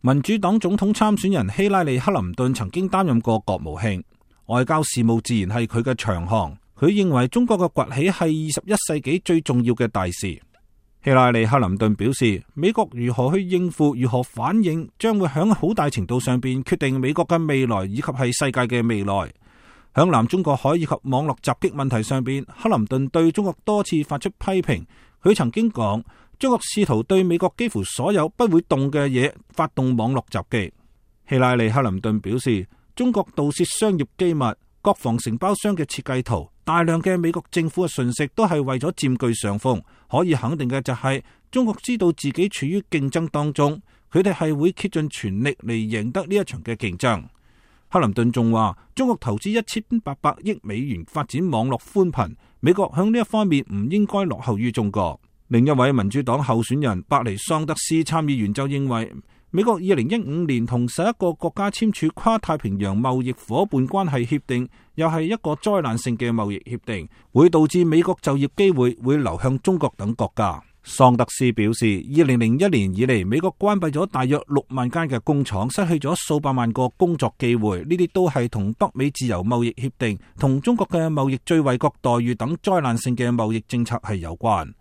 民主黨總統參選人希拉里·克林頓曾經擔任過國務卿，外交事務自然係佢嘅長項。佢認為中國嘅崛起係21世紀最重要嘅大事。希拉里·克林頓表示，美國如何去應付、如何反應，將會響好大程度上邊決定美國嘅未來以及係世界嘅未來。響南中國海以及網絡襲擊問題上邊，克林頓對中國多次發出批評。佢曾經講，中國試圖對美國幾乎所有不會動嘅嘢發動網絡襲擊。希拉里·克林頓表示，中國盜竊商業機密、國防承包商嘅設計圖、大量嘅美國政府嘅信息都係為咗佔據上風。可以肯定嘅就係，中國知道自己處於競爭當中，佢哋係會竭盡全力嚟贏得呢一場嘅競爭。克林頓仲話，中國投資1800億美元發展網絡寬頻，美國向呢一方面唔應該落後於中國。另一位民主黨候選人伯尼桑德斯參議員就認為，美國2015年同11個國家簽署跨太平洋貿易夥伴關係協定，又係一個災難性嘅貿易協定，會導致美國就業機會會流向中國等國家。桑德斯表示，2001年以嚟，美國關閉咗大約6萬間嘅工廠，失去咗數百萬個工作機會，呢啲都係同北美自由貿易協定、同中國嘅貿易最惠國待遇等災難性嘅貿易政策係有關。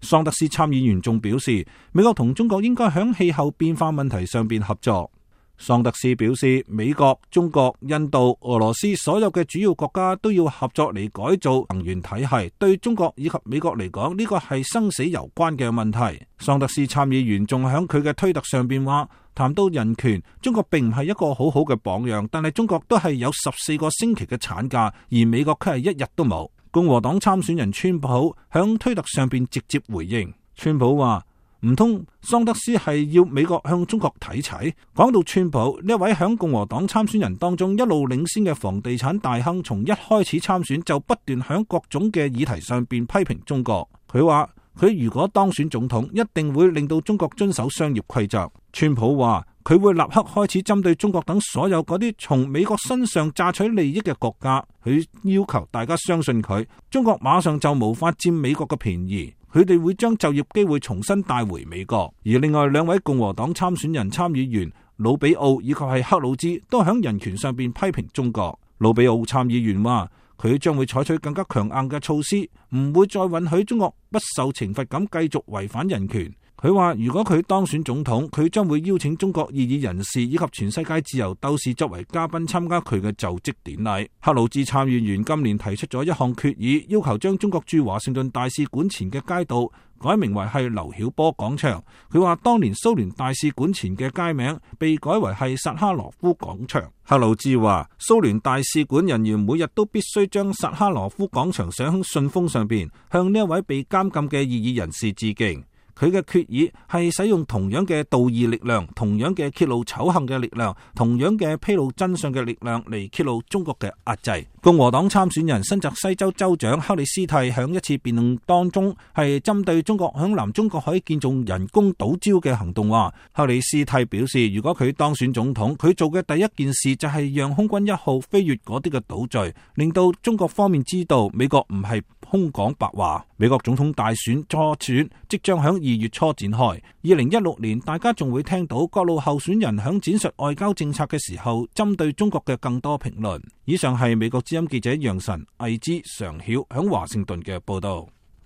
桑德斯參議員仲表示，美國同中國應該喺氣候變化問題上邊合作。桑德斯表示，美國、中國、印度、俄羅斯所有嘅主要國家都要合作嚟改造能源體系。對中國以及美國嚟講，呢個係生死攸關嘅問題。桑德斯參議員仲喺佢嘅推特上邊話，談到人權，中國並唔係一個好好嘅榜樣，但係中國都係有14個星期嘅產假，而美國卻係1日都冇。共和黨參選人川普響推特上邊直接回應，川普話，唔通桑德斯係要美國向中國睇齊？講到川普呢位響共和黨參選人當中一路領先嘅房地產大亨，從一開始參選就不斷響各種嘅議題上邊批評中國。佢話佢如果當選總統，一定會令到中國遵守商業規則。川普話佢會立刻開始針對中國等所有嗰啲從美國身上榨取利益嘅國家，佢要求大家相信佢，中國馬上就無法佔美國嘅便宜，佢哋會將就業機會重新帶回美國。而另外2位共和黨參選人參議員魯比奧以及係克魯茲都響人權上邊批評中國。魯比奧參議員話，佢將會採取更加強硬嘅措施，唔會再允許中國不受懲罰咁繼續違反人權。佢話如果佢當選總統，佢將會邀請中國異議人士以及全世界自由鬥士作為嘉賓參加佢嘅就職典禮。克魯茲參議員今年提出咗一項決議，要求將中國駐華盛頓大使館前嘅街道改名為係劉曉波廣場。佢話當年蘇聯大使館前嘅街名被改為係薩哈羅夫廣場。克魯茲話蘇聯大使館人員每日都必須將薩哈羅夫廣場寫喺信封上邊，向呢一位被監禁嘅異議人士致敬。佢嘅決議係使用同樣嘅道義力量、同樣嘅揭露醜行嘅力量、同樣嘅披露真相嘅力量嚟揭露中國嘅壓制。共和黨參選人新澤西州州長克里斯蒂響一次辯論當中係針對中國響南中國海建造人工島礁嘅行動話，克里斯蒂表示，如果佢當選總統，佢做嘅第一件事就係讓空軍1號飛越嗰啲嘅島嶼，令到中國方面知道美國唔係空講白話。美國總統大選初選即將響2月初展開。2016年，大家仲會聽到各路候選人響展述外交政策嘅時候，針對中國嘅更多評論。以上係美國之音記者楊晨、魏之、常曉響華盛頓嘅報道。